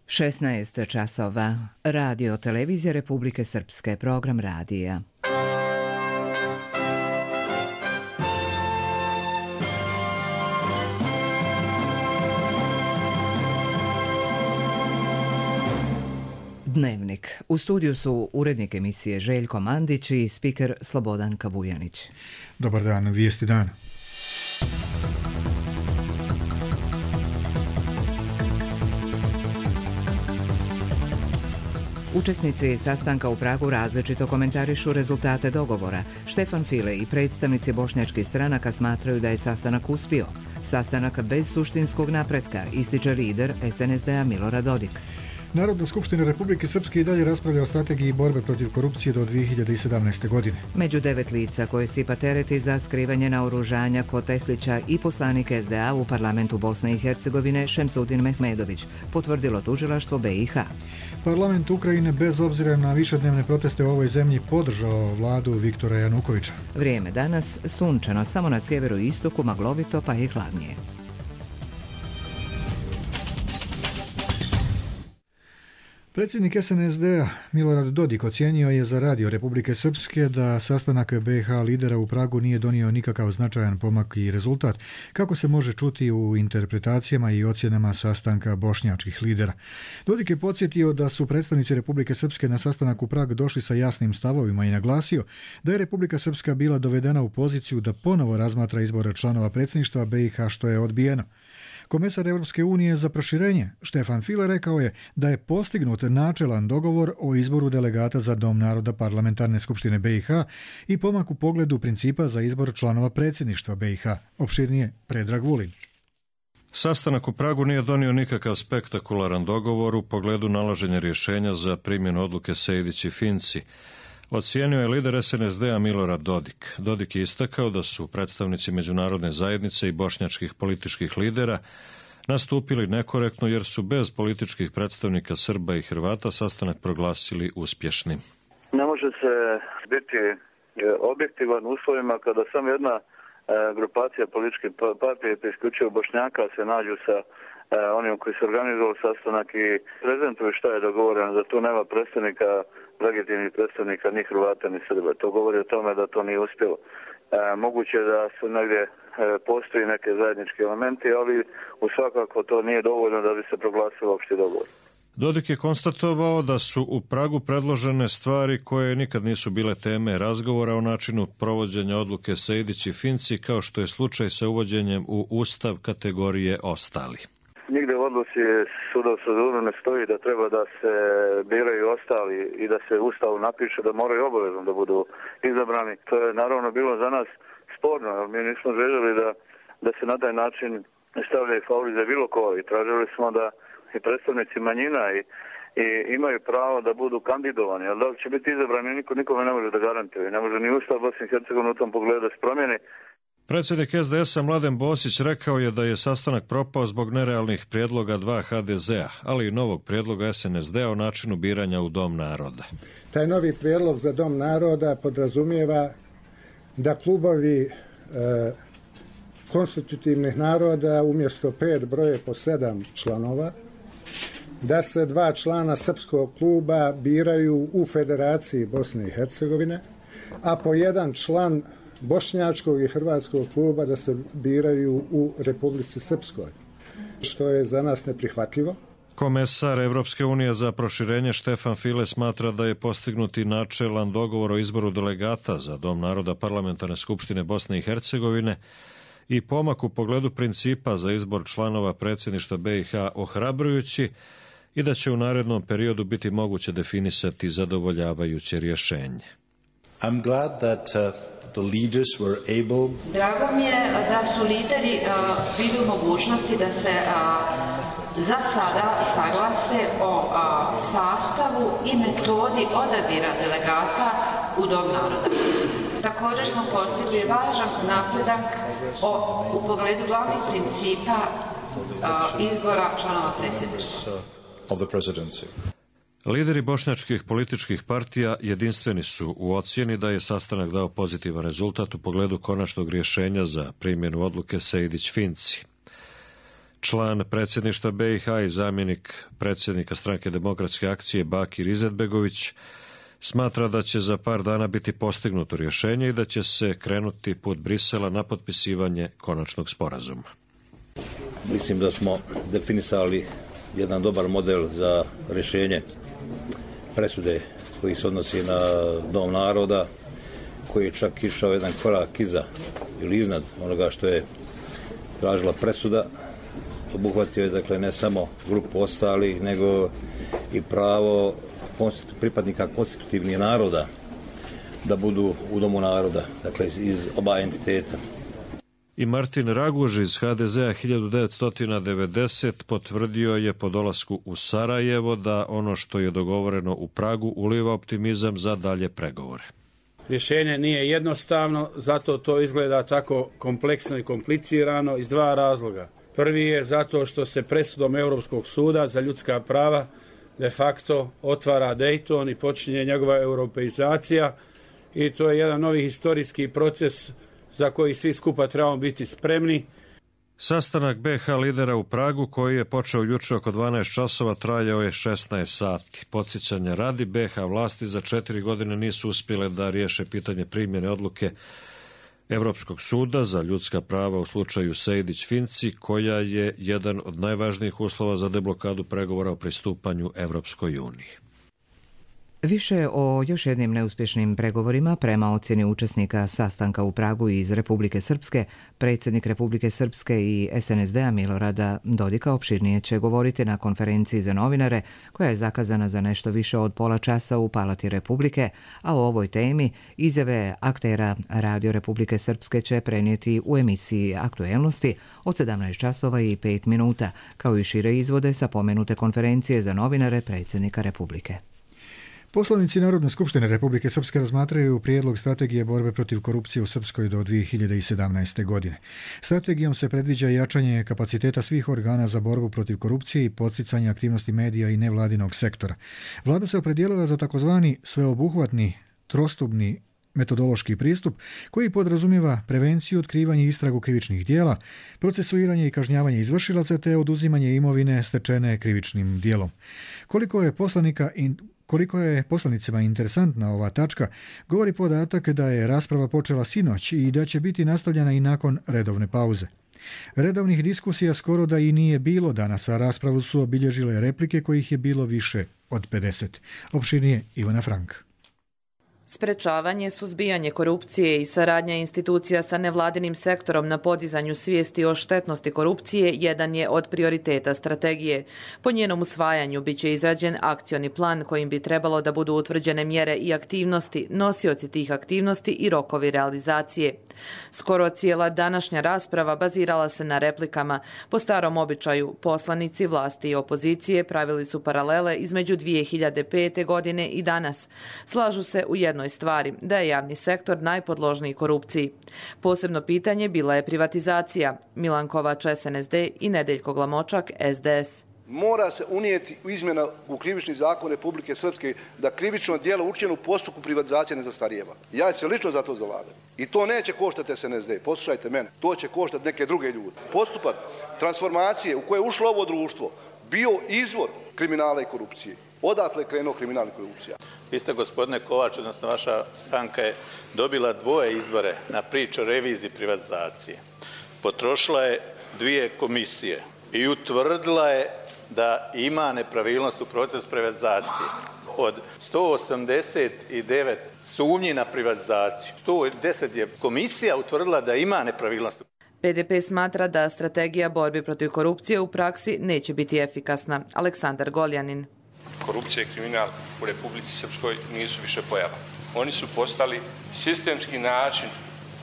16 časova. Radio Televizija Republike Srpske. Program radija. Dnevnik. U studiju su urednik emisije Željko Mandić i spiker Slobodan Kavujanić. Dobar dan, vijesti dana. Učesnici sastanka u Pragu različito komentarišu rezultate dogovora. Štefan File i predstavnici bošnjačkih stranaka smatraju da je sastanak uspio. Sastanak bez suštinskog napretka, ističe lider SNSD-a Milorad Dodik. Narodna skupština Republike Srpske i dalje raspravlja o strategiji borbe protiv korupcije do 2017. godine. Među 9 lica koje sipa tereti za skrivanje naoružanja kod Teslića i poslanik SDA u parlamentu Bosne i Hercegovine Šemsudin Mehmedović, potvrdilo tužilaštvo BiH. Parlament Ukrajine bez obzira na višednevne proteste u ovoj zemlji podržao vladu Viktora Janukovića. Vrijeme danas sunčano, samo na sjeveru i istoku maglovito pa i hladnije. Predsjednik SNSD-a Milorad Dodik ocijenio je za radio Republike Srpske da sastanak BiH lidera u Pragu nije donio nikakav značajan pomak i rezultat, kako se može čuti u interpretacijama i ocjenama sastanka bošnjačkih lidera. Dodik je podsjetio da su predstavnici Republike Srpske na sastanak u Prag došli sa jasnim stavovima i naglasio da je Republika Srpska bila dovedena u poziciju da ponovo razmatra izbor članova predsjedništva BiH, što je odbijeno. Komesar Europske unije za proširenje Štefan File rekao je da je postignut načelan dogovor o izboru delegata za Dom naroda Parlamentarne skupštine BiH i pomak u pogledu principa za izbor članova predsjedništva BiH. Opširnije Predrag Vulin. Sastanak u Pragu nije donio nikakav spektakularan dogovor u pogledu nalaženja rješenja za primjenu odluke Sejdić i Finci. Ocijenio je lider SNSD-a Milorad Dodik. Dodik je istakao da su predstavnici međunarodne zajednice i bošnjačkih političkih lidera nastupili nekorektno jer su bez političkih predstavnika Srba i Hrvata sastanak proglasili uspješnim. Ne može se biti objektivan u uslovima kada samo jedna grupacija političke partije, te isključivo Bošnjaka, se nađu sa onim koji su organizovali sastanak i prezentuju šta je dogovoreno, da tu nema predstavnika, legitimnih predstavnika ni Hrvata ni Srba. To govori o tome da to nije uspjelo. Moguće da su negdje postoji neke zajednički elementi, ali u svakako to nije dovoljno da bi se proglasilo opšti dogovor. Dodik je konstatovao da su u Pragu predložene stvari koje nikad nisu bile teme razgovora o načinu provođenja odluke Sejdić i Finci, kao što je slučaj sa uvođenjem u Ustav kategorije ostali. Nigde u odluci suda u Strasbourgu ne stoji da treba da se biraju ostali i da se u Ustavu napiše da moraju obavezno da budu izabrani. To je naravno bilo za nas sporno, jer mi nismo željeli da se na taj način stavljaju favorize bilo koga i tražili smo da i predstavnici manjina i imaju pravo da budu kandidovani, ali da li će biti izabrani nikome ne može da garantuje. Ne može ni Ustav Bosne i Hercegovine u tom pogledu da se promijeni. Predsjednik SDS-a Mladen Bosić rekao je da je sastanak propao zbog nerealnih prijedloga dva HDZ-a, ali i novog prijedloga SNSD-a o načinu biranja u Dom naroda. Taj novi prijedlog za Dom naroda podrazumijeva da klubovi konstitutivnih naroda umjesto 5 broje po 7 članova, da se 2 člana srpskog kluba biraju u Federaciji Bosne i Hercegovine, a po 1 član bošnjačkog i hrvatskog kluba da se biraju u Republici Srpskoj, što je za nas neprihvatljivo. Komesar Evropske unije za proširenje Štefan File smatra da je postignuti načelan dogovor o izboru delegata za Dom naroda Parlamentarne skupštine Bosne i Hercegovine i pomak u pogledu principa za izbor članova predsjedništva BiH ohrabrujući i da će u narednom periodu biti moguće definisati zadovoljavajuće rješenje. I'm glad that the leaders were able. Drago mi je da su lideri bili u mogućnosti da se za sada saglase o sastavu i metodi odabira delegata u Dom naroda. Također smo postigli važan napredak u pogledu glavnih principa izbora članova predsjedništva. Of the presidency. Lideri bošnjačkih političkih partija jedinstveni su u ocjeni da je sastanak dao pozitivan rezultat u pogledu konačnog rješenja za primjenu odluke Sejdić-Finci. Član predsjedništva BiH i zamjenik predsjednika Stranke demokratske akcije Bakir Izetbegović smatra da će za par dana biti postignuto rješenje i da će se krenuti put Brisela na potpisivanje konačnog sporazuma. Mislim da smo definisali jedan dobar model za rješenje presude koji se odnosi na Dom naroda, koji je čak išao jedan korak iza ili iznad onoga što je tražila presuda. Obuhvatio je dakle ne samo grupu ostalih, nego i pravo pripadnika konstitutivnih naroda da budu u Domu naroda, dakle iz oba entiteta. I Martin Raguž iz HDZ-a 1990 potvrdio je po dolasku u Sarajevo da ono što je dogovoreno u Pragu uliva optimizam za dalje pregovore. Rješenje nije jednostavno, zato to izgleda tako kompleksno i komplicirano iz dva razloga. Prvi je zato što se presudom Europskog suda za ljudska prava de facto otvara Dayton i počinje njegova europeizacija i to je jedan novi historijski proces za koji svi skupa trebamo biti spremni. Sastanak BiH lidera u Pragu koji je počeo jučer oko 12 časova trajao je 16 sati. Podsjećanja radi, BiH vlasti za 4 godine nisu uspjele da riješe pitanje primjene odluke Europskog suda za ljudska prava u slučaju Sejdić-Finci, koja je jedan od najvažnijih uslova za deblokadu pregovora o pristupanju Europskoj uniji. Više o još jednim neuspješnim pregovorima prema ocjeni učesnika sastanka u Pragu iz Republike Srpske, predsjednik Republike Srpske i SNSD-a Milorada Dodika opširnije će govoriti na konferenciji za novinare koja je zakazana za nešto više od pola časa u Palati Republike, a o ovoj temi izjave aktera Radio Republike Srpske će prenijeti u emisiji Aktuelnosti od 17 časova i 5 minuta, kao i šire izvode sa pomenute konferencije za novinare predsjednika Republike. Poslanici Narodne skupštine Republike Srpske razmatraju prijedlog strategije borbe protiv korupcije u Srpskoj do 2017. godine. Strategijom se predviđa jačanje kapaciteta svih organa za borbu protiv korupcije i podsticanje aktivnosti medija i nevladinog sektora. Vlada se opredijelila za takozvani sveobuhvatni trostupni metodološki pristup koji podrazumijeva prevenciju, otkrivanje i istragu krivičnih djela, procesuiranje i kažnjavanje izvršilaca te oduzimanje imovine stečene krivičnim djelom. Koliko je poslanicima interesantna ova tačka, govori podatak da je rasprava počela sinoć i da će biti nastavljena i nakon redovne pauze. Redovnih diskusija skoro da i nije bilo danas, a raspravu su obilježile replike kojih je bilo više od 50. Opširnije Ivana Frank. Sprečavanje, suzbijanje korupcije i saradnja institucija sa nevladinim sektorom na podizanju svijesti o štetnosti korupcije jedan je od prioriteta strategije. Po njenom usvajanju biće izrađen akcioni plan kojim bi trebalo da budu utvrđene mjere i aktivnosti, nosioci tih aktivnosti i rokovi realizacije. Skoro cijela današnja rasprava bazirala se na replikama. Po starom običaju, poslanici vlasti i opozicije pravili su paralele između 2005. godine i danas. Slažu se u jednoj stvari, da je javni sektor najpodložniji korupciji. Posebno pitanje bila je privatizacija. Milan Kovač, SNSD i Nedeljko Glamočak, SDS. Mora se unijeti izmjena u krivični zakon Republike Srpske da krivično djelo učinjeno u postupku privatizacije ne zastarijeva. Ja ću se lično za to zalagati. I to neće koštati SNSD. Poslušajte mene. To će koštati neke druge ljude. Postupak transformacije u koje je ušlo ovo društvo bio izvor kriminala i korupcije. Odatle je krenuo kriminal i korupcija. Vi ste, gospodine Kovač, odnosno vaša stranka je dobila 2 izbore na priču o reviziji privatizacije. Potrošila je 2 komisije i utvrdila je da ima nepravilnost u procesu privatizacije. Od 189 sumnji na privatizaciju, 110 je komisija utvrdila da ima nepravilnost. PDP smatra da strategija borbe protiv korupcije u praksi neće biti efikasna. Aleksandar Goljanin. Korupcija i kriminal u Republici Srpskoj nisu više pojava. Oni su postali sistemski način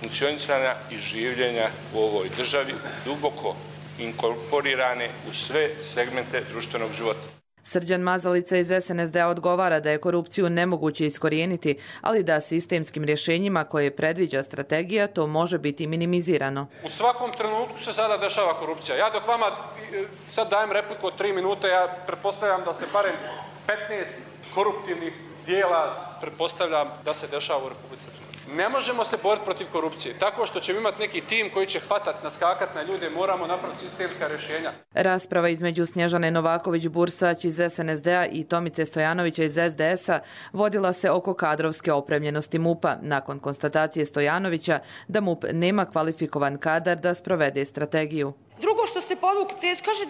funkcionisanja i življenja u ovoj državi, duboko inkorporirane u sve segmente društvenog života. Srđan Mazalica iz SNSD-a odgovara da je korupciju nemoguće iskorijeniti, ali da sistemskim rješenjima koje predviđa strategija to može biti minimizirano. U svakom trenutku se sada dešava korupcija. Ja dok vama sad dajem repliku od 3 minute, ja pretpostavljam da se barem 15 koruptivnih dijela pretpostavljam da se dešava u Republici Srpskoj. Ne možemo se boriti protiv korupcije tako što ćemo imati neki tim koji će hvatati, naskakati na ljude, moramo napraviti sistemska rješenja. Rasprava između Snježane Novaković-Bursać iz SNSD-a i Tomice Stojanovića iz SDS-a vodila se oko kadrovske opremljenosti MUP-a nakon konstatacije Stojanovića da MUP nema kvalifikovan kadar da sprovede strategiju. Drugo što ste podvukli tezu, kaže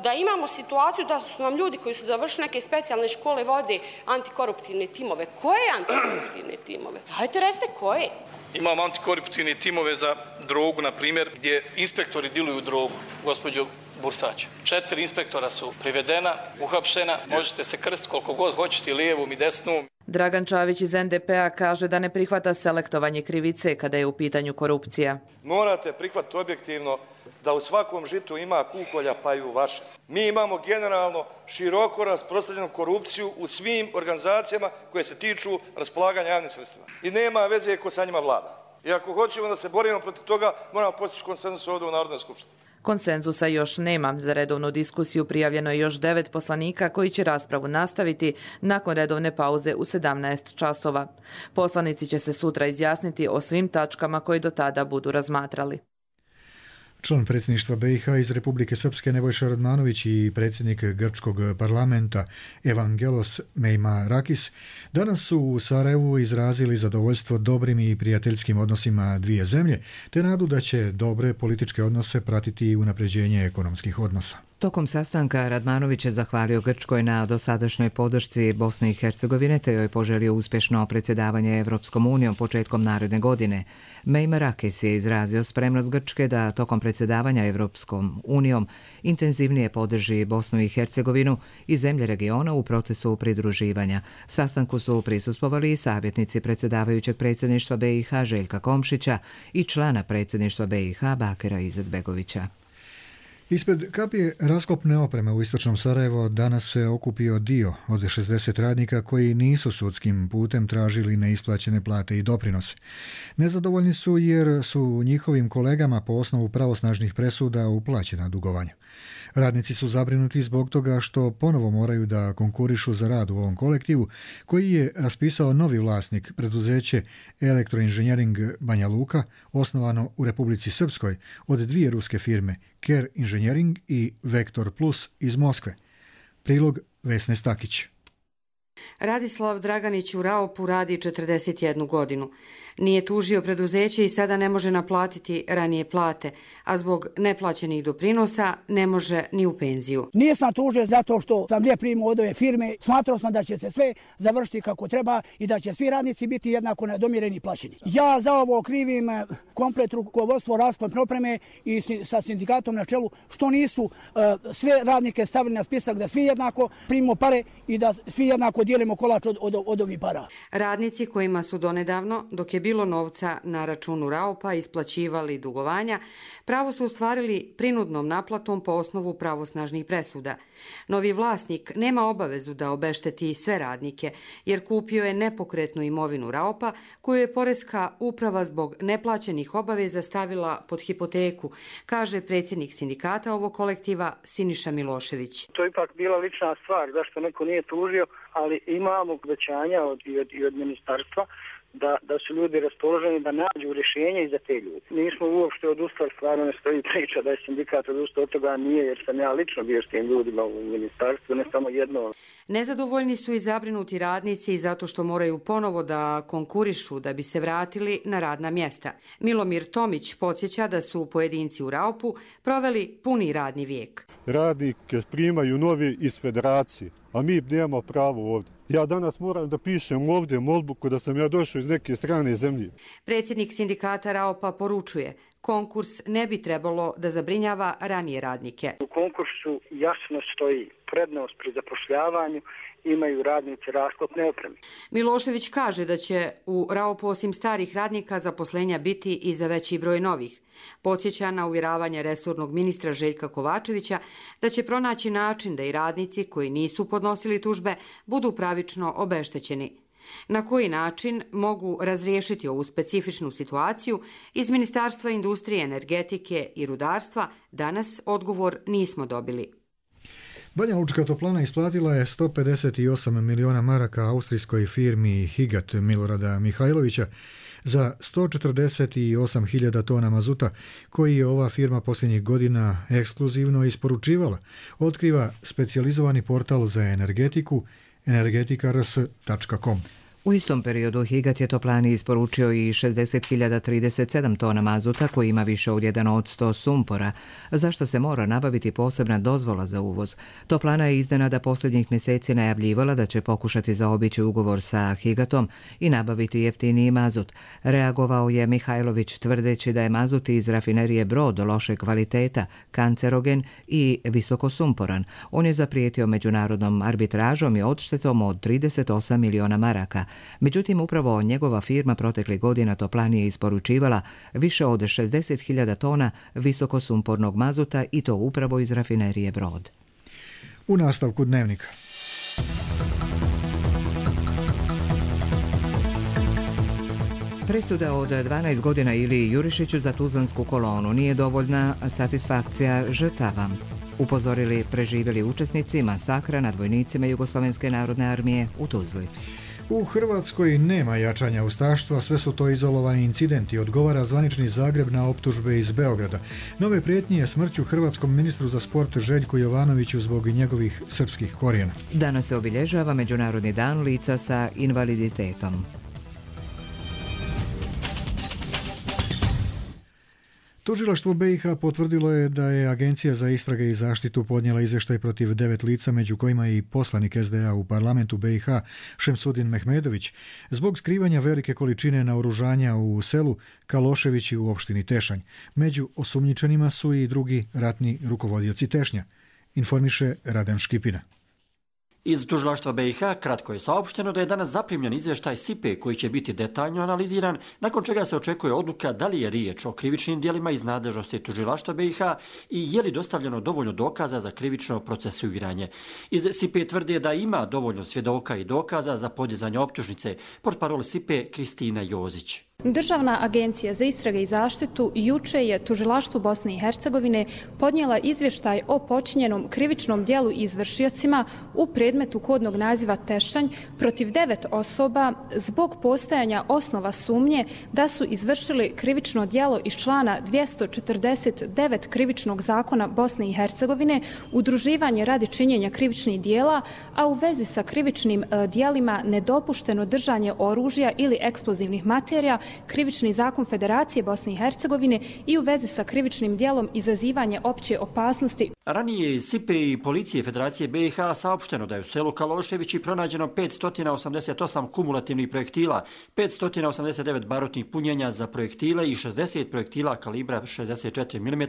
da imamo situaciju da su nam ljudi koji su završili neke specijalne škole vode antikoruptivne timove. Koje antikoruptivne timove? Hajde recite koje? Imamo antikoruptivne timove za drogu, na primjer, gdje inspektori diluju drogu, gospođo Bursać. 4 inspektora su privedena, uhapšena, možete se krstiti koliko god hoćete, lijevom i desnom. Dragan Čavić iz NDP-a kaže da ne prihvata selektovanje krivice kada je u pitanju korupcija. Morate prihvatiti objektivno da u svakom žitu ima kukolja pa i u vašem. Mi imamo generalno široko rasprostranjenu korupciju u svim organizacijama koje se tiču raspolaganja javnim sredstvima. I nema veze ko sa njima vlada. I ako hoćemo da se borimo protiv toga, moramo postići konsenzus ovdje u Narodnoj skupštini. Konsenzusa još nema. Za redovnu diskusiju prijavljeno je još 9 poslanika koji će raspravu nastaviti nakon redovne pauze u 17 časova. Poslanici će se sutra izjasniti o svim tačkama koje do tada budu razmatrali. Član predsjedništva BiH iz Republike Srpske Nebojša Radmanović i predsjednik grčkog parlamenta Evangelos Meimarakis danas su u Sarajevu izrazili zadovoljstvo dobrim i prijateljskim odnosima dvije zemlje, te nadu da će dobre političke odnose pratiti i unapređenje ekonomskih odnosa. Tokom sastanka Radmanović je zahvalio Grčkoj na dosadašnjoj podršci Bosne i Hercegovine te joj poželio uspješno predsjedavanje Evropskom unijom početkom naredne godine. Meimarakis je izrazio spremnost Grčke da tokom predsjedavanja Evropskom unijom intenzivnije podrži Bosnu i Hercegovinu i zemlje regiona u procesu pridruživanja. Sastanku su prisustvovali i savjetnici predsjedavajućeg predsjedništva BiH Željka Komšića i člana predsjedništva BiH Bakira Izetbegovića. Ispred kapije rasklopne opreme u istočnom Sarajevo danas se okupio dio od 60 radnika koji nisu sudskim putem tražili neisplaćene plate i doprinose. Nezadovoljni su jer su njihovim kolegama po osnovu pravosnažnih presuda uplaćena dugovanja. Radnici su zabrinuti zbog toga što ponovo moraju da konkurišu za rad u ovom kolektivu koji je raspisao novi vlasnik, preduzeće Elektroinženjering Banja Luka, osnovano u Republici Srpskoj od dvije ruske firme Ker Inženjering i Vektor Plus iz Moskve. Prilog Vesne Stakić. Radislav Draganić u Raopu radi 41 godinu. Nije tužio preduzeće i sada ne može naplatiti ranije plate, a zbog neplaćenih doprinosa ne može ni u penziju. Nisam tužio zato što sam lijep primao od ove firme. Smatrao sam da će se sve završiti kako treba i da će svi radnici biti jednako nadomireni i plaćeni. Ja za ovo krivim komplet rukovodstvo rasklopne opreme i sa sindikatom na čelu što nisu sve radnike stavili na spisak da svi jednako primimo pare i da svi jednako dijelimo kolač od ovih para. Radnici kojima su donedavno, dok je bilo novca na računu Raopa, isplaćivali dugovanja, pravo su ostvarili prinudnom naplatom po osnovu pravosnažnih presuda. Novi vlasnik nema obavezu da obešteti sve radnike, jer kupio je nepokretnu imovinu Raopa, koju je Poreska uprava zbog neplaćenih obaveza stavila pod hipoteku, kaže predsjednik sindikata ovog kolektiva Siniša Milošević. To je ipak bila lična stvar, zašto neko nije tužio, ali imamo obećanja od ministarstva da su ljudi raspoloženi da nađu rješenje i za te ljudi. Nismo uopšte odustali, stvarno ne stoji priča da je sindikat odustao od toga, nije, jer sam ja lično bio s tim ljudima u ministarstvu, ne samo jedno. Nezadovoljni su i zabrinuti radnici zato što moraju ponovo da konkurišu da bi se vratili na radna mjesta. Milomir Tomić podsjeća da su pojedinci u Raopu proveli puni radni vijek. Radnike primaju novi iz federacije, a mi nemamo pravo ovdje. Ja danas moram da pišem ovdje molbu da sam ja došao iz neke strane zemlje. Predsjednik sindikata Raopa poručuje, konkurs ne bi trebalo da zabrinjava ranije radnike. U konkursu jasno stoji prednost pri zapošljavanju, imaju radnici rasklopne opreme. Milošević kaže da će u Raopu osim starih radnika zaposlenja biti i za veći broj novih. Podsjeća na uvjeravanje resornog ministra Željka Kovačevića da će pronaći način da i radnici koji nisu podnosili tužbe budu pravično obeštećeni. Na koji način mogu razriješiti ovu specifičnu situaciju, iz Ministarstva industrije, energetike i rudarstva danas odgovor nismo dobili. Banja Lučka toplana isplatila je 158 miliona maraka austrijskoj firmi Higat Milorada Mihajlovića za 148.000 tona mazuta koji je ova firma posljednjih godina ekskluzivno isporučivala, otkriva specijalizovani portal za energetiku energetikars.com. U istom periodu Higat je toplani isporučio i 60.037 tona mazuta koji ima više od 1% sumpora, zašto se mora nabaviti posebna dozvola za uvoz. Toplana je iznenada posljednjih mjeseci najavljivala da će pokušati zaobići ugovor sa Higatom i nabaviti jeftiniji mazut. Reagovao je Mihajlović tvrdeći da je mazut iz rafinerije Brod loše kvaliteta, kancerogen i visokosumporan. On je zaprijetio međunarodnom arbitražom i odštetom od 38 miliona maraka. Međutim, upravo njegova firma proteklih godina toplani je isporučivala više od 60.000 tona visokosumpornog mazuta i to upravo iz rafinerije Brod. U nastavku dnevnika. Presuda od 12 godina Iliji Jurišiću za tuzlansku kolonu nije dovoljna satisfakcija žrtava, upozorili preživjeli učesnici masakra nad vojnicima Jugoslovenske narodne armije u Tuzli. U Hrvatskoj nema jačanja ustaštva, sve su to izolovani incidenti, odgovara zvanični Zagreb na optužbe iz Beograda. Nove prijetnje je smrću hrvatskom ministru za sport Željku Jovanoviću zbog njegovih srpskih korijena. Danas se obilježava Međunarodni dan lica sa invaliditetom. Tužilaštvo BiH potvrdilo je da je Agencija za istrage i zaštitu podnijela izvještaj protiv 9 lica, među kojima je i poslanik SDA u parlamentu BiH Šemsudin Mehmedović, zbog skrivanja velike količine naoružanja u selu Kaloševići u opštini Tešanj. Među osumnjičenima su i drugi ratni rukovodioci Tešnja, informiše Raden Škipina. Iz tužilaštva BiH kratko je saopšteno da je danas zaprimljen izvještaj SIPE koji će biti detaljno analiziran, nakon čega se očekuje odluka da li je riječ o krivičnim djelima iz nadležnosti tužilaštva BiH i je li dostavljeno dovoljno dokaza za krivično procesuiranje. Iz SIPE tvrde da ima dovoljno svjedoka i dokaza za podizanje optužnice, portparol SIPE Kristina Jozić. Državna agencija za istrage i zaštitu juče je tužilaštvu Bosne i Hercegovine podnijela izvještaj o počinjenom krivičnom djelu izvršiocima u predmetu kodnog naziva Tešanj protiv 9 osoba zbog postojanja osnova sumnje da su izvršili krivično djelo iz člana 249 krivičnog zakona Bosne i Hercegovine, udruživanje radi činjenja krivičnih djela, a u vezi sa krivičnim djelima nedopušteno držanje oružja ili eksplozivnih materija, krivični zakon Federacije Bosne i Hercegovine i u vezi sa krivičnim djelom izazivanje opće opasnosti. Ranije iz SIPE i policije Federacije BiH saopšteno da je u selu Kaloševići pronađeno 588 kumulativnih projektila, 589 barutnih punjenja za projektile i 60 projektila kalibra 64 mm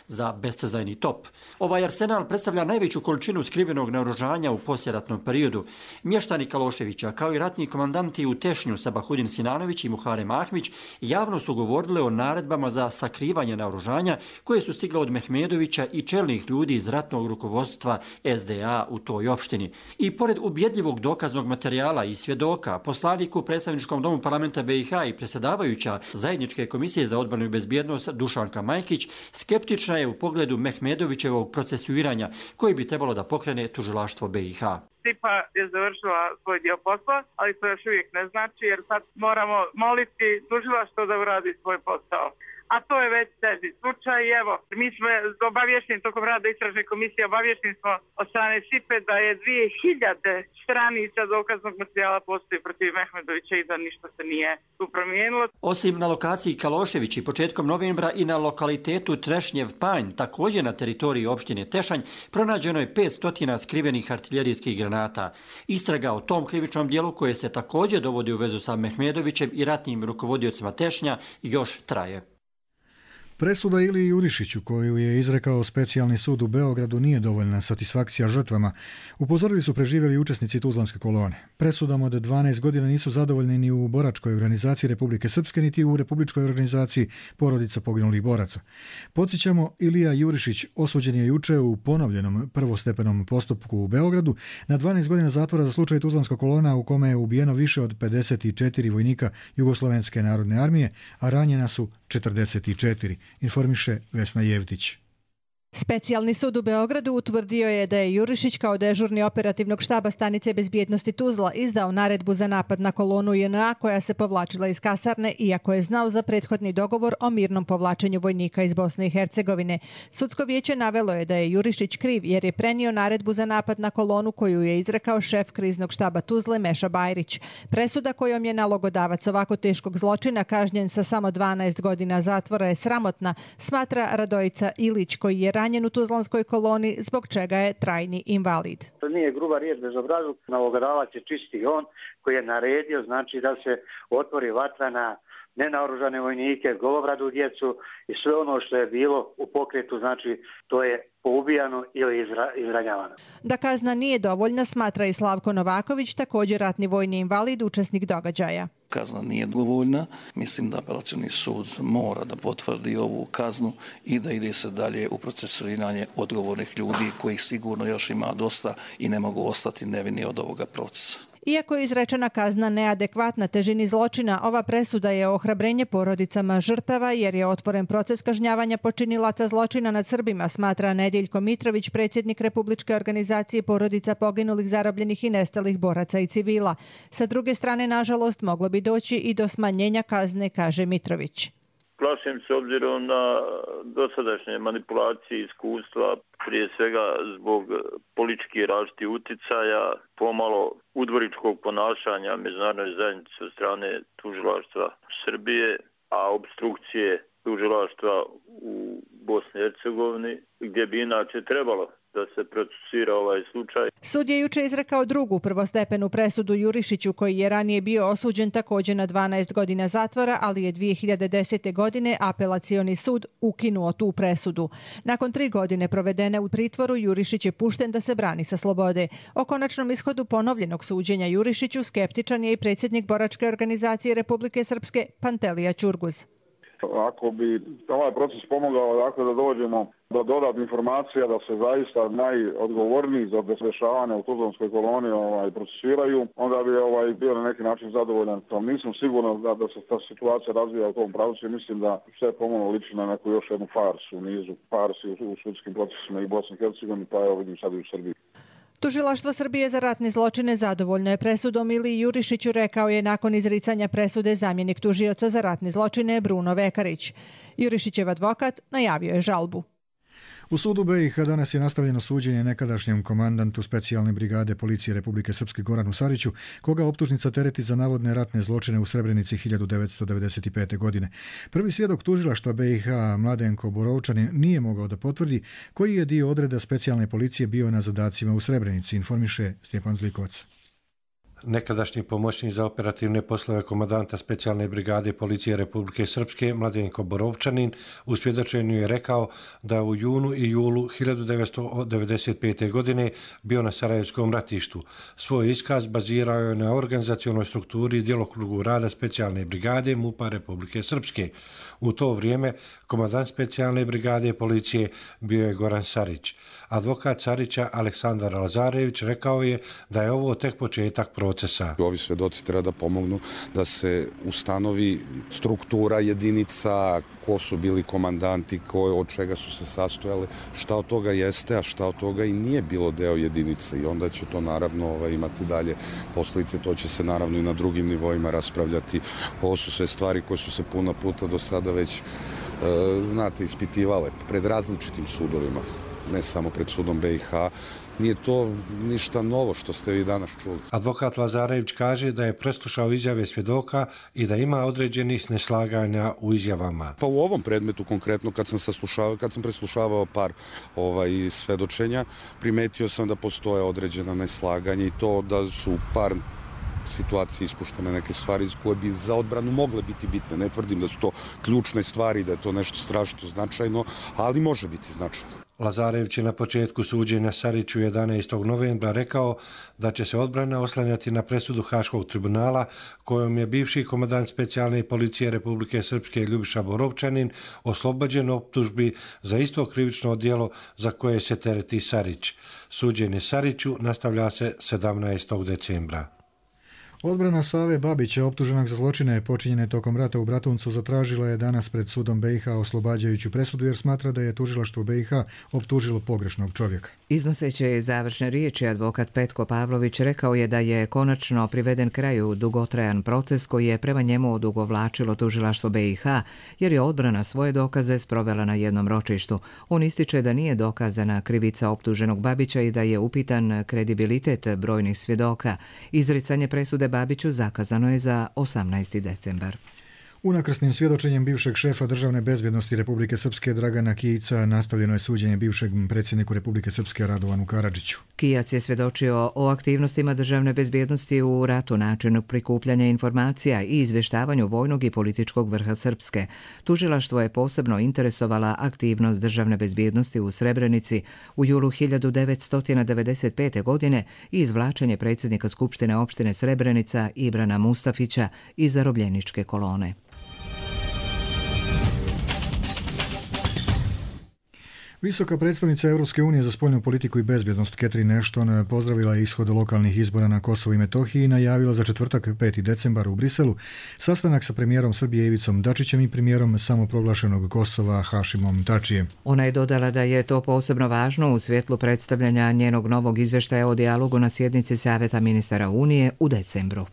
za bescezajni top. Ovaj arsenal predstavlja najveću količinu skrivenog naoružanja u poslijeratnom periodu. Mještani Kaloševića, kao i ratni komandanti u Tešnju Sabahudin Sinanović i Muharem Ahmić, javno su govorili o naredbama za sakrivanje naoružanja koje su stigle od Mehmedovića i čelnih ljudi iz ratnog rukovodstva SDA u toj opštini. I pored ubjedljivog dokaznog materijala i svjedoka, poslanik u predstavničkom domu parlamenta BiH i predsjedavajuća Zajedničke komisije za odbranu i bezbjednost Dušanka Majkić skeptična je u pogledu Mehmedovićevog procesuiranja koji bi trebalo da pokrene tužilaštvo BiH. SIPA je završila svoj dio posla, ali to još uvijek ne znači jer sad moramo moliti tužilaštvo da uradi svoj posao. A to je već teži slučaj i evo, mi smo obavješteni tokom rada istražne komisije, obavješteni smo od strane SIPE da je 2000 stranica dokaznog materijala postoji protiv Mehmedovića i da ništa se nije tu promijenilo. Osim na lokaciji Kaloševići početkom novembra i na lokalitetu Trešnjev Panj, također na teritoriji opštine Tešanj, pronađeno je 500 skrivenih artiljerijskih granata. Istraga o tom krivičnom dijelu koje se također dovodi u vezu sa Mehmedovićem i ratnim rukovodiocima Tešnja još traje. Presuda Iliji Jurišiću, koju je izrekao specijalni sud u Beogradu, nije dovoljna satisfakcija žrtvama, upozorili su preživjeli učesnici tuzlanske kolone. Presudama od 12 godina nisu zadovoljni ni u boračkoj organizaciji Republike Srpske, niti u Republičkoj organizaciji porodica poginulih boraca. Podsjećamo, Ilija Jurišić osuđen je juče u ponovljenom prvostepenom postupku u Beogradu na 12 godina zatvora za slučaj tuzlanska kolona u kome je ubijeno više od 54 vojnika Jugoslovenske narodne armije, a ranjena su 44, informiše Vesna Jevtić. Specijalni sud u Beogradu utvrdio je da je Jurišić kao dežurni operativnog štaba stanice bezbjednosti Tuzla izdao naredbu za napad na kolonu JNA koja se povlačila iz kasarne, iako je znao za prethodni dogovor o mirnom povlačenju vojnika iz Bosne i Hercegovine. Sudsko vijeće navelo je da je Jurišić kriv jer je prenio naredbu za napad na kolonu koju je izrekao šef kriznog štaba Tuzle Meša Bajrić. Presuda kojom je nalogodavac ovako teškog zločina kažnjen sa samo 12 godina zatvora je sramotna, smatra Radojica Ilić koji je ranjen u Tuzlanskoj koloni, zbog čega je trajni invalid. To nije gruba riječ bezobrazluk, nalogodavac je čisti on koji je naredio, znači da se otvori vatra na nenaoružane vojnike, golobradu djecu i sve ono što je bilo u pokretu, znači to je poubijano ili izranjavano. Da kazna nije dovoljna, smatra i Slavko Novaković, također ratni vojni invalid, učesnik događaja. Kazna nije dovoljna. Mislim da apelacioni sud mora da potvrdi ovu kaznu i da ide se dalje u procesuiranje odgovornih ljudi kojih sigurno još ima dosta i ne mogu ostati nevini od ovoga procesa. Iako je izrečena kazna neadekvatna težini zločina, ova presuda je ohrabrenje porodicama žrtava jer je otvoren proces kažnjavanja počinilaca zločina nad Srbima, smatra Nedeljko Mitrović, predsjednik Republičke organizacije porodica poginulih, zarobljenih i nestalih boraca i civila. Sa druge strane, nažalost, moglo bi doći i do smanjenja kazne, kaže Mitrović. Plašim se obzirom na dosadašnje manipulacije i iskustva, prije svega zbog političkih različitih uticaja, pomalo udvoričkog ponašanja međunarodne zajednice od strane tužilaštva Srbije, a obstrukcije tužilaštva u Bosni i Hercegovini, gdje bi inače trebalo da se procesira ovaj slučaj. Sud je juče izrekao drugu prvostepenu presudu Jurišiću, koji je ranije bio osuđen također na 12 godina zatvora, ali je 2010. godine apelacioni sud ukinuo tu presudu. Nakon 3 godine provedene u pritvoru, Jurišić je pušten da se brani sa slobode. O konačnom ishodu ponovljenog suđenja Jurišiću skeptičan je i predsjednik Boračke organizacije Republike Srpske Pantelija Ćurguz. Ako bi ovaj proces pomogao dakle, da dođemo do dodatnih informacija, da se zaista najodgovorniji za dešavanje u Tuzlanskoj koloni procesuiraju, onda bi bio na neki način zadovoljan. Nisam siguran da se ta situacija razvija u tom pravcu i mislim da sve pomalo liči na neku još jednu farsu u nizu. Farsi u sudskim procesima i Bosni i Hercegovini, pa evo vidim sad i u Srbiji. Tužilaštvo Srbije za ratne zločine zadovoljno je presudom Iliji Jurišiću, rekao je nakon izricanja presude zamjenik tužioca za ratne zločine Bruno Vekarić. Jurišićev advokat najavio je žalbu. U sudu BiH danas je nastavljeno suđenje nekadašnjem komandantu specijalne brigade policije Republike Srpske Goranu Sariću, koga optužnica tereti za navodne ratne zločine u Srebrenici 1995. godine. Prvi svjedok tužilaštva BiH Mladenko Borovčanin nije mogao da potvrdi koji je dio odreda specijalne policije bio na zadacima u Srebrenici, informiše Stjepan Zlikovac. Nekadašnji pomoćnik za operativne poslove komandanta specijalne brigade policije Republike Srpske Mladenko Borovčanin u svjedočenju je rekao da u junu i julu 1995. godine bio na Sarajevskom ratištu. Svoj iskaz bazirao je na organizacionoj strukturi i djelokrugu rada specijalne brigade MUP-a Republike Srpske. U to vrijeme komandant specijalne brigade policije bio je Goran Sarić. Advokat Sarića Aleksandar Lazarević rekao je da je ovo tek početak procesa. Ovi svedoci treba da pomognu da se ustanovi struktura jedinica, ko su bili komandanti, od čega su se sastojali, šta od toga jeste, a šta od toga i nije bilo deo jedinice. I onda će to naravno imati dalje posljedice, to će se naravno i na drugim nivoima raspravljati. Ovo su sve stvari koje su se puno puta do sada već, ispitivale pred različitim sudovima, ne samo pred sudom BiH. Nije to ništa novo što ste vi danas čuli. Advokat Lazarević kaže da je preslušao izjave svjedoka i da ima određenih neslaganja u izjavama. Pa u ovom predmetu konkretno, kad sam preslušavao par svedočenja, primetio sam da postoje određena neslaganja i to da su par situacije ispuštene neke stvari koje bi za odbranu mogle biti bitne. Ne tvrdim da su to ključne stvari, da je to nešto strašno značajno, ali može biti značajno. Lazarević je na početku suđenja Sariću 11. novembra rekao da će se odbrana oslanjati na presudu Haškog tribunala kojom je bivši komandant specijalne policije Republike Srpske Ljubiša Borovčanin oslobođen optužbi za isto krivično djelo za koje se tereti Sarić. Suđenje Sariću nastavlja se 17. decembra. Odbrana Save Babića, optuženog za zločine počinjene tokom rata u Bratuncu, zatražila je danas pred sudom BiH oslobađajuću presudu jer smatra da je tužilaštvo BiH optužilo pogrešnog čovjeka. Iznoseći završne riječi, advokat Petko Pavlović rekao je da je konačno priveden kraju dugotrajan proces koji je prema njemu odugovlačilo tužilaštvo BiH jer je odbrana svoje dokaze sprovela na jednom ročištu. On ističe da nije dokazana krivica optuženog Babića i da je upitan kredibilitet brojnih svjedoka. Izricanje presude Babiću zakazano je za 18. decembar. Unakrsnim svjedočenjem bivšeg šefa državne bezbjednosti Republike Srpske Dragana Kijca nastavljeno je suđenje bivšeg predsjedniku Republike Srpske Radovanu Karadžiću. Kijac je svjedočio o aktivnostima državne bezbjednosti u ratu, načinu prikupljanja informacija i izvještavanju vojnog i političkog vrha Srpske. Tužilaštvo je posebno interesovala aktivnost državne bezbjednosti u Srebrenici u julu 1995. godine i izvlačenje predsjednika Skupštine opštine Srebrenica Ibrana Mustafića iz zarobljeničke kolone. Visoka predstavnica Europske unije za spoljnu politiku i bezbjednost Catherine Ashton pozdravila je ishod lokalnih izbora na Kosovu i Metohiji i najavila za četvrtak 5. decembar u Briselu sastanak sa premijerom Srbije Ivicom Dačićem i premijerom samoproglašenog Kosova Hašimom Tačijem. Ona je dodala da je to posebno važno u svjetlu predstavljanja njenog novog izvještaja o dijalogu na sjednici Saveta ministara Unije u decembru.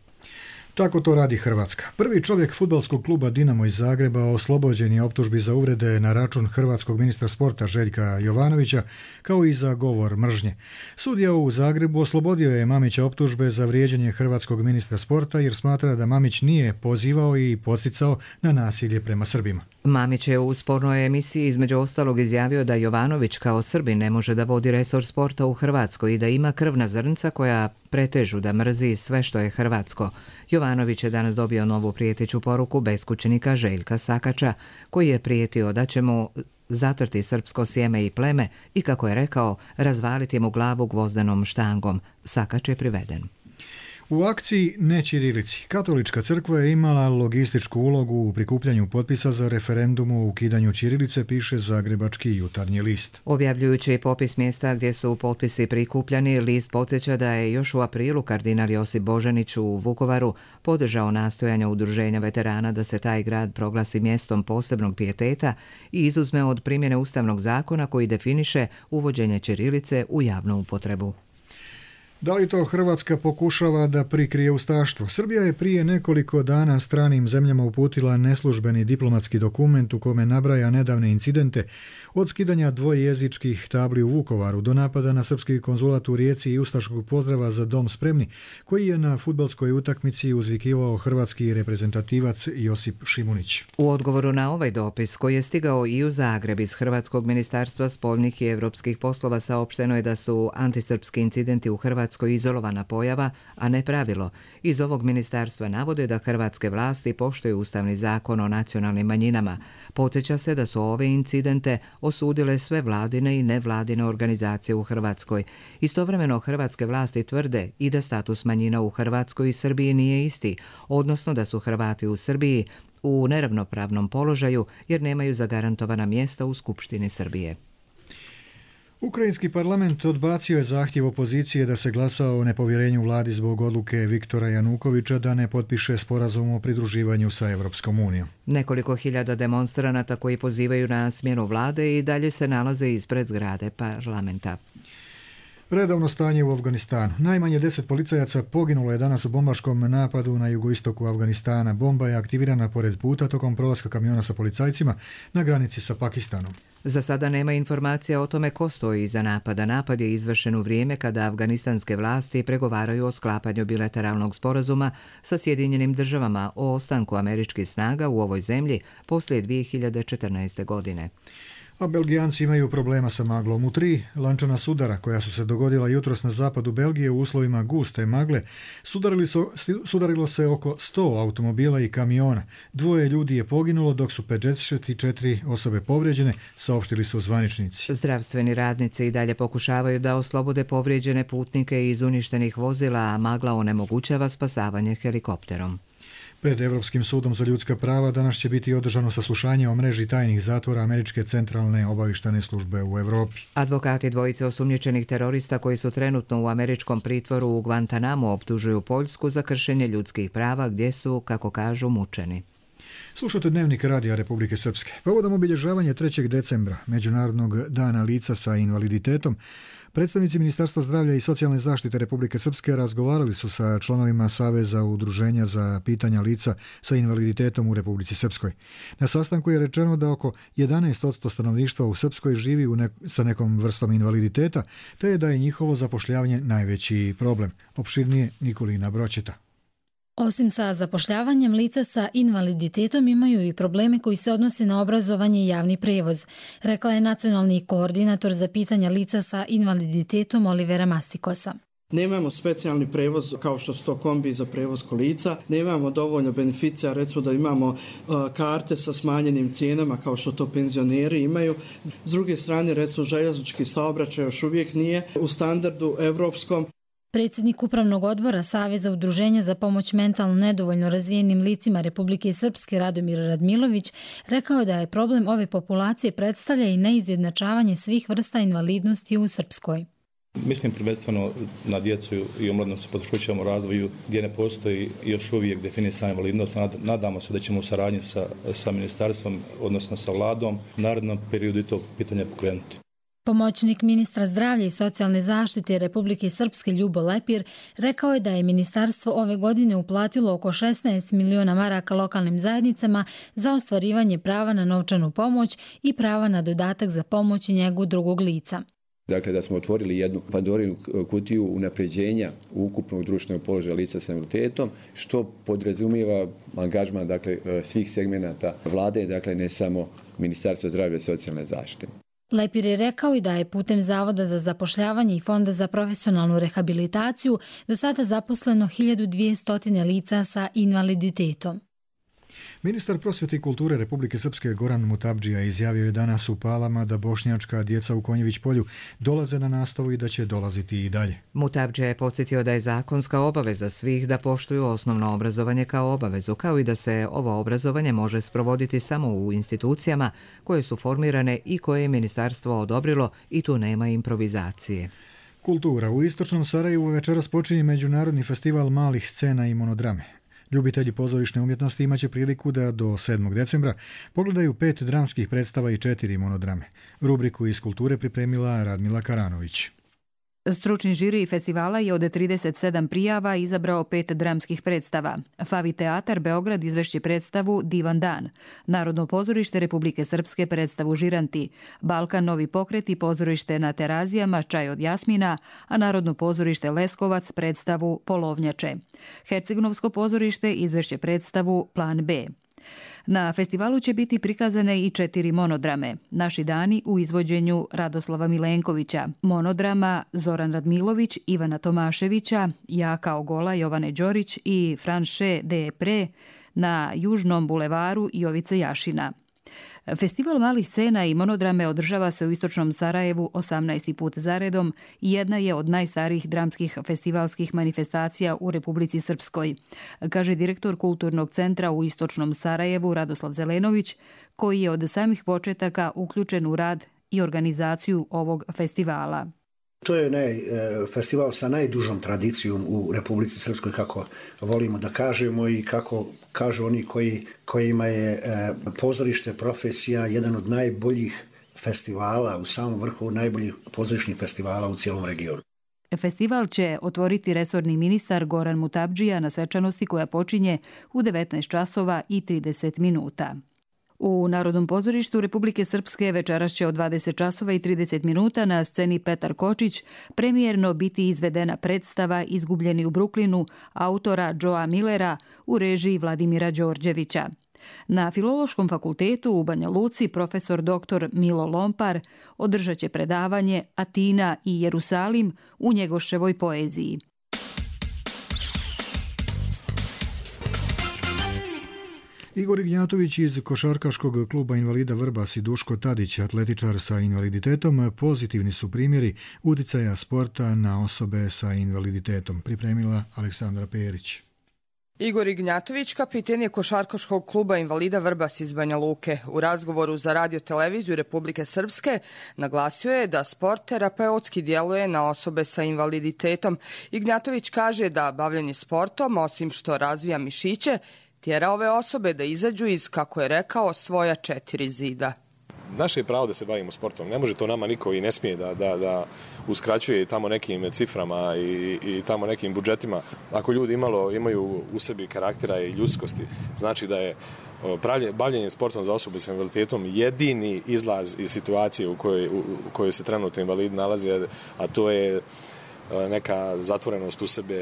Tako to radi Hrvatska. Prvi čovjek fudbalskog kluba Dinamo iz Zagreba oslobođen je optužbi za uvrede na račun hrvatskog ministra sporta Željka Jovanovića, kao i za govor mržnje. Sudija u Zagrebu oslobodio je Mamića optužbe za vrijeđanje hrvatskog ministra sporta jer smatra da Mamić nije pozivao i podsticao na nasilje prema Srbima. Mamić je u spornoj emisiji između ostalog izjavio da Jovanović kao Srbin ne može da vodi resor sporta u Hrvatskoj i da ima krvna zrnca koja pretežu da mrzi sve što je hrvatsko. Jovanović je danas dobio novu prijeteću poruku beskućnika Željka Sakača, koji je prijetio da će mu zatrti srpsko sjeme i pleme i, kako je rekao, razvaliti mu glavu gvozdenom štangom. Sakač je priveden. U akciji Ne ćirilici Katolička crkva je imala logističku ulogu u prikupljanju potpisa za referendum o ukidanju ćirilice, piše Zagrebački jutarnji list. Objavljujući popis mjesta gdje su potpisi prikupljani, list podsjeća da je još u aprilu kardinal Josip Božanić u Vukovaru podržao nastojanja udruženja veterana da se taj grad proglasi mjestom posebnog pijeteta i izuzme od primjene ustavnog zakona koji definiše uvođenje ćirilice u javnu upotrebu. Da li to Hrvatska pokušava da prikrije ustaštvo? Srbija je prije nekoliko dana stranim zemljama uputila neslužbeni diplomatski dokument u kome nabraja nedavne incidente od skidanja dvojezičkih tabli u Vukovaru do napada na srpski konzulat u Rijeci i ustaškog pozdrava Za dom spremni, koji je na fudbalskoj utakmici uzvikivao hrvatski reprezentativac Josip Šimunić. U odgovoru na ovaj dopis, koji je stigao i u Zagreb iz Hrvatskog ministarstva spoljnih i evropskih poslova, saopšteno je da su antisrpski incidenti u Hrvatskoj izolovana pojava, a ne pravilo. Iz ovog ministarstva navode da hrvatske vlasti poštuju ustavni zakon o nacionalnim manjinama. Podsjeća se da su ove incidente osudile sve vladine i nevladine organizacije u Hrvatskoj. Istovremeno hrvatske vlasti tvrde i da status manjina u Hrvatskoj i Srbiji nije isti, odnosno da su Hrvati u Srbiji u neravnopravnom položaju jer nemaju zagarantovana mjesta u Skupštini Srbije. Ukrajinski parlament odbacio je zahtjev opozicije da se glasa o nepovjerenju vladi zbog odluke Viktora Janukovića da ne potpiše sporazum o pridruživanju sa Evropskom unijom. Nekoliko hiljada demonstranata koji pozivaju na smjenu vlade i dalje se nalaze ispred zgrade parlamenta. Redovno stanje u Afganistanu. Najmanje 10 policajaca poginulo je danas u bombaškom napadu na jugoistoku Afganistana. Bomba je aktivirana pored puta tokom prolaska kamiona sa policajcima na granici sa Pakistanom. Za sada nema informacija o tome ko stoji iza napada. Napad je izvršen u vrijeme kada afganistanske vlasti pregovaraju o sklapanju bilateralnog sporazuma sa Sjedinjenim državama o ostanku američkih snaga u ovoj zemlji poslije 2014. godine. A Belgijanci imaju problema sa maglom. U 3 lančana sudara koja su se dogodila jutros na zapadu Belgije u uslovima guste magle, sudarilo se oko 100 automobila i kamiona. 2 ljudi je poginulo, dok su 54 osobe povrijeđene, saopštili su zvaničnici. Zdravstveni radnici i dalje pokušavaju da oslobode povrijeđene putnike iz uništenih vozila, a magla onemogućava spasavanje helikopterom. Pred Evropskim sudom za ljudska prava danas će biti održano saslušanje o mreži tajnih zatvora Američke centralne obavještajne službe u Evropi. Advokati dvojice osumnjičenih terorista koji su trenutno u američkom pritvoru u Guantanamu optužuju Poljsku za kršenje ljudskih prava gdje su, kako kažu, mučeni. Slušate Dnevnik Radija Republike Srpske. Povodom obilježavanja 3. decembra, Međunarodnog dana lica sa invaliditetom, predstavnici Ministarstva zdravlja i socijalne zaštite Republike Srpske razgovarali su sa članovima Saveza udruženja za pitanja lica sa invaliditetom u Republici Srpskoj. Na sastanku je rečeno da oko 11% stanovništva u Srpskoj živi sa nekom vrstom invaliditeta, te da je njihovo zapošljavanje najveći problem. Opširnije Nikolina Broćeta. Osim sa zapošljavanjem, lica sa invaliditetom imaju i probleme koji se odnose na obrazovanje i javni prevoz, rekla je nacionalni koordinator za pitanja lica sa invaliditetom Olivera Mastikosa. Nemamo specijalni prevoz kao što su to kombi za prevoz kolica, nemamo dovoljno beneficija, recimo da imamo karte sa smanjenim cijenama kao što to penzioneri imaju. S druge strane, recimo željeznički saobraćaj još uvijek nije u standardu evropskom. Predsjednik Upravnog odbora Saveza udruženja za pomoć mentalno nedovoljno razvijenim licima Republike Srpske Radomir Radmilović rekao da je problem ove populacije predstavlja i neizjednačavanje svih vrsta invalidnosti u Srpskoj. Mislim prvenstveno na djecu i omladinu sa poteškoćama u razvoju gdje ne postoji još uvijek definisana invalidnost. Nadamo se da ćemo u saradnji sa ministarstvom, odnosno sa vladom, u narednom periodu i to pitanje pokrenuti. Pomoćnik ministra zdravlja i socijalne zaštite Republike Srpske Ljubo Lepir rekao je da je ministarstvo ove godine uplatilo oko 16 miliona maraka lokalnim zajednicama za ostvarivanje prava na novčanu pomoć i prava na dodatak za pomoć i njegu drugog lica. Dakle, da smo otvorili jednu Pandorinu kutiju unapređenja ukupnog društvenog položaja lica s invaliditetom, što podrazumijeva angažman svih segmenata vlade, dakle ne samo Ministarstva zdravlja i socijalne zaštite. Lepir je rekao i da je putem Zavoda za zapošljavanje i Fonda za profesionalnu rehabilitaciju do sada zaposleno 1200 lica sa invaliditetom. Ministar prosvjete i kulture Republike Srpske Goran Mutabdžija izjavio je danas u Palama da bošnjačka djeca u Konjević polju dolaze na nastavu i da će dolaziti i dalje. Mutabdžija je podsjetio da je zakonska obaveza svih da poštuju osnovno obrazovanje kao obavezu, kao i da se ovo obrazovanje može sprovoditi samo u institucijama koje su formirane i koje je ministarstvo odobrilo i tu nema improvizacije. Kultura. U istočnom Sarajevu večeras počinje Međunarodni festival malih scena i monodrame. Ljubitelji pozorišne umjetnosti imaće priliku da do 7. decembra pogledaju 5 dramskih predstava i 4 monodrame. Rubriku iz kulture pripremila Radmila Karanović. Stručni žiri festivala je od 37 prijava izabrao 5 dramskih predstava. Favi teatar Beograd izvešće predstavu Divan dan. Narodno pozorište Republike Srpske predstavu Žiranti. Balkan Novi pokret i pozorište na Terazijama Čaj od Jasmina, a Narodno pozorište Leskovac predstavu Polovnjače. Hercegnovsko pozorište izvešće predstavu Plan B. Na festivalu će biti prikazane i 4 monodrame. Naši dani u izvođenju Radoslava Milenkovića, monodrama Zoran Radmilović, Ivana Tomaševića, Ja kao gola Jovane Đorić i Franše de Pre na Južnom bulevaru Jovice Jašina. Festival malih scena i monodrame održava se u istočnom Sarajevu 18. put zaredom i jedna je od najstarijih dramskih festivalskih manifestacija u Republici Srpskoj, kaže direktor Kulturnog centra u istočnom Sarajevu Radoslav Zelenović, koji je od samih početaka uključen u rad i organizaciju ovog festivala. To je festival sa najdužom tradicijom u Republici Srpskoj, kako volimo da kažemo i kako kažu oni kojima je pozorište profesija jedan od najboljih festivala, u samom vrhu najboljih pozorišnih festivala u cijelom regionu. Festival će otvoriti resorni ministar Goran Mutabdžija na svečanosti koja počinje u 19 časova i 30 minuta. U Narodnom pozorištu Republike Srpske večeras će od 20 časova i 30 minuta na sceni Petar Kočić premijerno biti izvedena predstava Izgubljeni u Bruklinu autora Joea Millera u režiji Vladimira Đorđevića. Na Filološkom fakultetu u Banja Luci profesor dr. Milo Lompar održat će predavanje Atina i Jerusalim u Njegoševoj poeziji. Igor Ignjatović iz košarkaškog kluba invalida Vrbas i Duško Tadić, atletičar sa invaliditetom, pozitivni su primjeri uticaja sporta na osobe sa invaliditetom, pripremila Aleksandra Perić. Igor Ignjatović, kapiten je košarkaškog kluba invalida Vrbas iz Banja Luke. U razgovoru za Radio televiziju Republike Srpske naglasio je da sport terapeutski djeluje na osobe sa invaliditetom. Ignjatović kaže da bavljenje sportom, osim što razvija mišiće, tjera ove osobe da izađu iz, kako je rekao, svoja 4 zida. Naše je pravo da se bavimo sportom. Ne može to nama niko i ne smije da uskraćuje tamo nekim ciframa i tamo nekim budžetima. Ako ljudi imaju u sebi karaktera i ljudskosti, znači da je bavljenje sportom za osobe s invaliditetom jedini izlaz iz situacije u kojoj se trenutno invalidi nalaze, a to je neka zatvorenost u sebe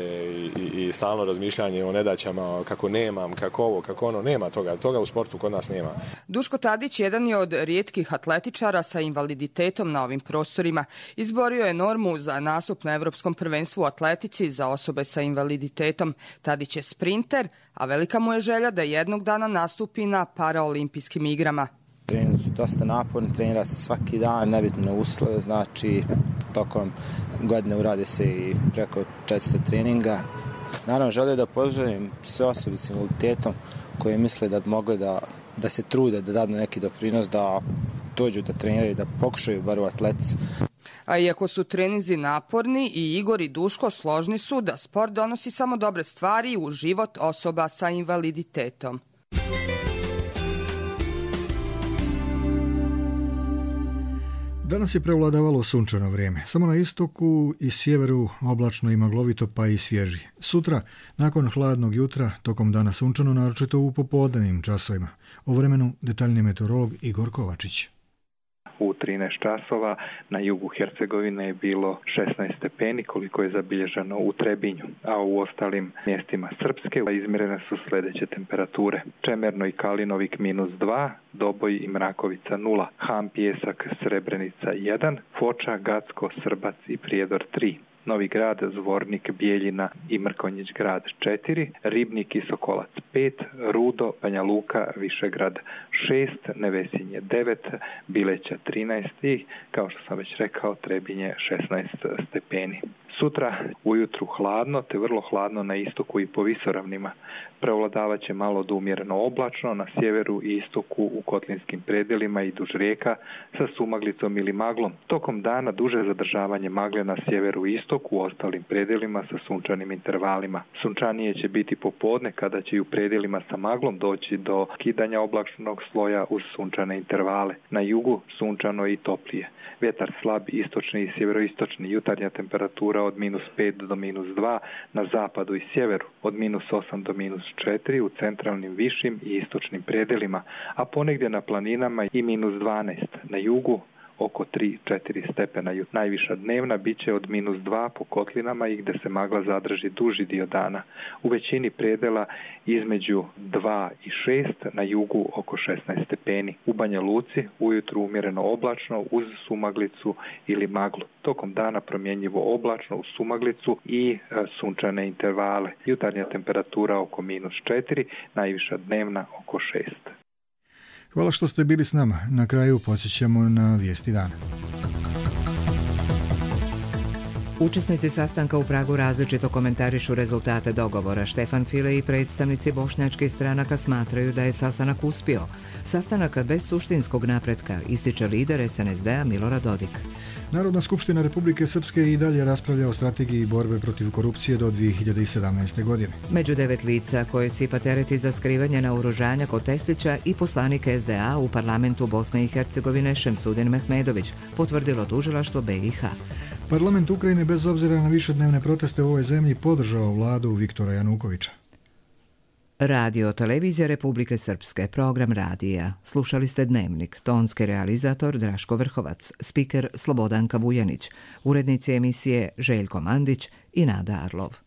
i stalno razmišljanje o nedaćama, kako nemam, kako ovo, kako ono, nema toga. Toga u sportu kod nas nema. Duško Tadić, jedan je od rijetkih atletičara sa invaliditetom na ovim prostorima. Izborio je normu za nastup na Evropskom prvenstvu u atletici za osobe sa invaliditetom. Tadić je sprinter, a velika mu je želja da jednog dana nastupi na paraolimpijskim igrama. Treninzi su dosta naporni, trenira se svaki dan, nebitne uslove, znači tokom godine urade se i preko 400 treninga. Naravno, želio da pozdravim sve osobe s invaliditetom koje misle da bi mogli da se trude, da dadu neki doprinos, da dođu da treniraju, da pokušaju bar u atletici. A iako su treninzi naporni, i Igor i Duško složni su da sport donosi samo dobre stvari u život osoba sa invaliditetom. Danas je prevladavalo sunčano vrijeme. Samo na istoku i sjeveru oblačno i maglovito, pa i svježi. Sutra, nakon hladnog jutra, tokom dana sunčano, naročito u popodnevnim časovima. O vremenu detaljni meteorolog Igor Kovačić. U 13 časova na jugu Hercegovine je bilo 16 stepeni, koliko je zabilježeno u Trebinju, a u ostalim mjestima Srpske izmjerene su sljedeće temperature. Čemerno i Kalinovik -2, Doboj i Mrakovica 0, Ham, Pjesak, Srebrenica 1, Foča, Gacko, Srbac i Prijedor 3. Novi Grad, Zvornik, Bijeljina i Mrkonjić Grad 4, Ribnik i Sokolac 5, Rudo, Banja Luka, Višegrad 6, Nevesinje 9, Bileća 13 i, kao što sam već rekao, Trebinje 16 stepeni. Sutra ujutru hladno, te vrlo hladno na istoku i po visoravnima. Prevladavat će malo do umjereno oblačno na sjeveru i istoku u kotlinskim predjelima i duž rijeka sa sumaglicom ili maglom. Tokom dana duže zadržavanje magle na sjeveru i istoku u ostalim predjelima sa sunčanim intervalima. Sunčanije će biti popodne kada će i u predjelima sa maglom doći do kidanja oblačnog sloja uz sunčane intervale. Na jugu sunčano i toplije. Vjetar slab, istočni i sjeveroistočni, jutarnja temperatura od -5 do -2, na zapadu i sjeveru od -8 do -4, u centralnim, višim i istočnim predjelima, a ponegdje na planinama i -12, na jugu oko 3-4 stepena. Najviša dnevna bit će od -2 po kotlinama i gdje se magla zadrži duži dio dana. U većini predjela između 2 i 6, na jugu oko 16 stepeni. U Banja Luci ujutru umjereno oblačno uz sumaglicu ili maglu. Tokom dana promjenjivo oblačno uz sumaglicu i sunčane intervale. Jutarnja temperatura oko -4, najviša dnevna oko 6. Hvala što ste bili s nama. Na kraju podsjećamo na vijesti dana. Učesnici sastanka u Pragu različito komentarišu rezultate dogovora. Štefan File i predstavnici bošnjačkih stranaka smatraju da je sastanak uspio. Sastanak bez suštinskog napretka, ističe lider SNSD-a Milorad Dodik. Narodna skupština Republike Srpske i dalje raspravlja o strategiji borbe protiv korupcije do 2017. godine. Među 9 lica koje sipa tereti za skrivanje naoružanja kod Testića i poslanik SDA u parlamentu Bosne i Hercegovine Šemsudin Mehmedović, potvrdilo tužilaštvo BiH. Parlament Ukrajine, bez obzira na višednevne proteste u ovoj zemlji, podržao vladu Viktora Janukovića. Radio televizija Republike Srpske, program radija. Slušali ste Dnevnik, tonski realizator Draško Vrhovac, spiker Slobodanka Vujanić, urednici emisije Željko Mandić i Nada Arlov.